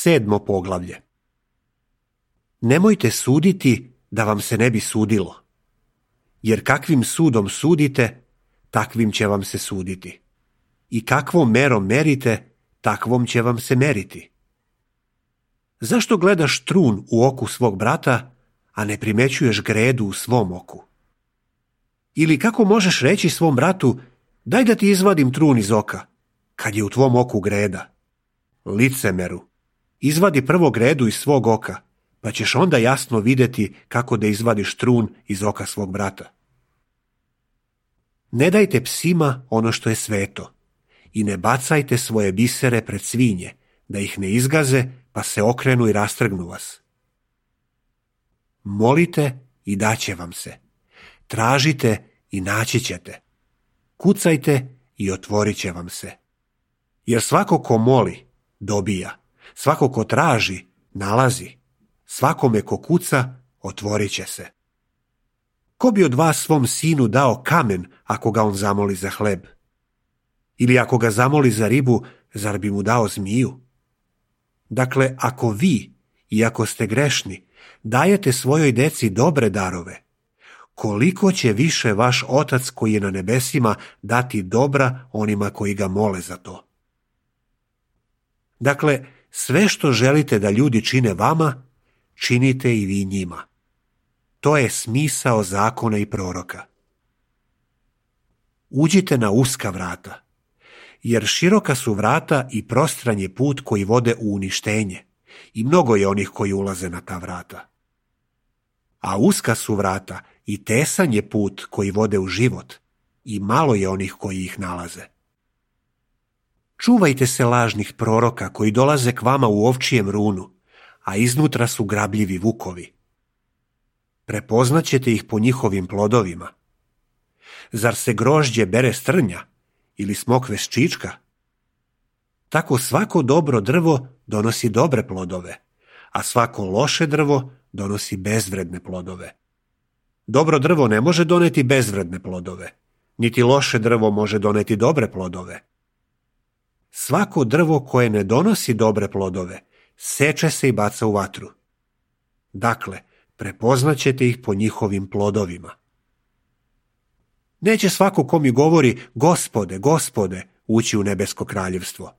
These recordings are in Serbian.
7. poglavlje. Nemojte suditi da vam se ne bi sudilo, jer kakvim sudom sudite, takvim će vam se suditi. I kakvom merom merite, takvom će vam se meriti. Zašto gledaš trun u oku svog brata, a ne primećuješ gredu u svom oku? Ili kako možeš reći svom bratu, daj da ti izvadim trun iz oka, kad je u tvom oku greda? Licemeru, izvadi prvo gredu iz svog oka, pa ćeš onda jasno vidjeti kako da izvadiš trun iz oka svog brata. Ne dajte psima ono što je sveto i ne bacajte svoje bisere pred svinje, da ih ne izgaze pa se okrenu i rastrgnu vas. Molite i daće vam se. Tražite i naći ćete. Kucajte i otvorit će vam se. Jer svako ko moli, dobija. Svako ko traži, nalazi. Svakome ko kuca, otvorit će se. Ko bi od vas svom sinu dao kamen ako ga on zamoli za hleb? Ili ako ga zamoli za ribu, zar bi mu dao zmiju? Dakle, ako vi, iako ste grešni, dajete svojoj deci dobre darove, koliko će više vaš Otac koji je na nebesima dati dobra onima koji ga mole za to? Dakle, sve što želite da ljudi čine vama, činite i vi njima. To je smisao zakona i proroka. Uđite na uska vrata, jer široka su vrata i prostran je put koji vode u uništenje, i mnogo je onih koji ulaze na ta vrata. A uska su vrata i tesan je put koji vode u život, i malo je onih koji ih nalaze. Čuvajte se lažnih proroka koji dolaze k vama u ovčijem runu, a iznutra su grabljivi vukovi. Prepoznaćete ih po njihovim plodovima. Zar se grožđe bere s trnja ili smokve s čička? Tako svako dobro drvo donosi dobre plodove, a svako loše drvo donosi bezvredne plodove. Dobro drvo ne može doneti bezvredne plodove, niti loše drvo može doneti dobre plodove. Svako drvo koje ne donosi dobre plodove, seče se i baca u vatru. Dakle, prepoznaćete ih po njihovim plodovima. Neće svako ko mi govori, Gospode, Gospode, ući u nebesko kraljevstvo,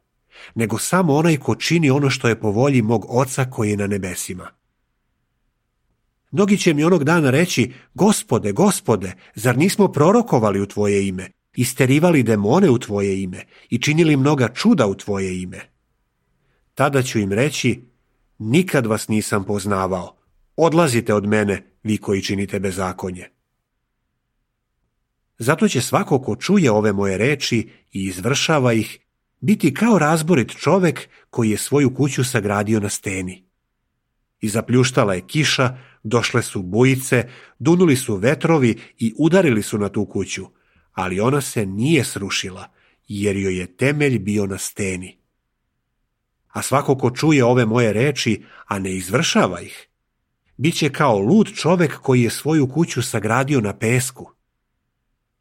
nego samo onaj ko čini ono što je po volji mog Oca koji je na nebesima. Mnogi će mi onog dana reći, Gospode, Gospode, zar nismo prorokovali u tvoje ime, isterivali demone u tvoje ime i činili mnoga čuda u tvoje ime? Tada ću im reći, nikad vas nisam poznavao, odlazite od mene, vi koji činite bezakonje. Zato će svako ko čuje ove moje reči i izvršava ih, biti kao razborit čovek koji je svoju kuću sagradio na steni. I zapljuštala je kiša, došle su bujice, dunuli su vetrovi i udarili su na tu kuću, ali ona se nije srušila, jer joj je temelj bio na steni. A svako ko čuje ove moje reči, a ne izvršava ih, bit će kao lud čovek koji je svoju kuću sagradio na pesku.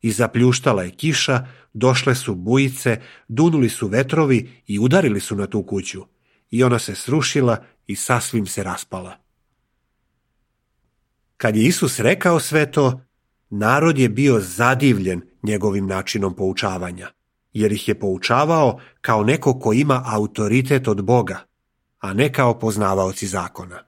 I zapljuštala je kiša, došle su bujice, dunuli su vetrovi i udarili su na tu kuću, i ona se srušila i sasvim se raspala. Kad je Isus rekao sve to, narod je bio zadivljen njegovim načinom poučavanja, jer ih je poučavao kao neko ko ima autoritet od Boga, a ne kao poznavaoci zakona.